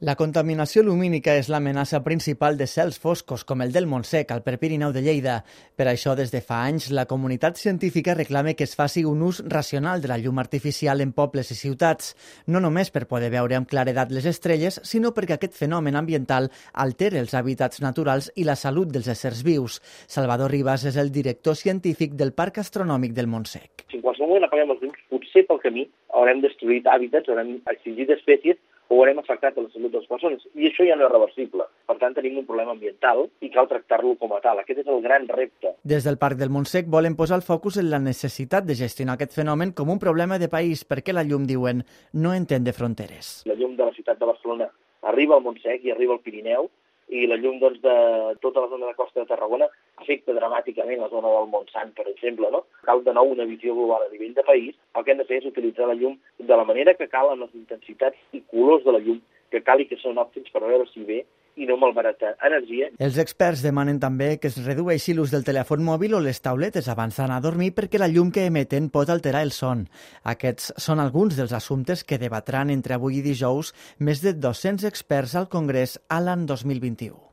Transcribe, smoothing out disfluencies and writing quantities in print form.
La contaminació lumínica és l'amenaça principal de cels foscos com el del Montsec, al Prepirineu de Lleida. Per això, des de fa anys, la comunitat científica reclama que es faci un ús racional de la llum artificial en pobles i ciutats, no només per poder veure amb claredat les estrelles, sinó perquè aquest fenomen ambiental altera els hàbitats naturals i la salut dels éssers vius. Salvador Ribas és el director científic del Parc Astronòmic del Montsec. Si en qualsevol moment apaguem els llums, potser pel camí haurem destruït hàbitats, haurem extingit espècies o haurem afectat la salut de les persones. I això ja no és reversible. Per tant, tenim un problema ambiental i cal tractar-lo com a tal. Aquest és el gran repte. Des del Parc del Montsec volen posar el focus en la necessitat de gestionar aquest fenomen com un problema de país, perquè la llum, diuen, no entén de fronteres. La llum de la ciutat de Barcelona arriba al Montsec i arriba al Pirineu, i la llum de tota la zona de costa de Tarragona afecta dramàticament la zona del Montsant, per exemple, no? Cal de nou una visió global a nivell de país. El que hem de fer és utilitzar la llum de la manera que cal, amb les intensitats i colors de la llum que cal i que són òptims per veure si ve i no malbaratar energia. Els experts demanen també que es redueixi l'ús del telèfon mòbil o les tauletes abans d'anar a dormir perquè la llum que emeten pot alterar el son. Aquests són alguns dels assumptes que debatran entre avui i dijous més de 200 experts al Congrés a l'any 2021.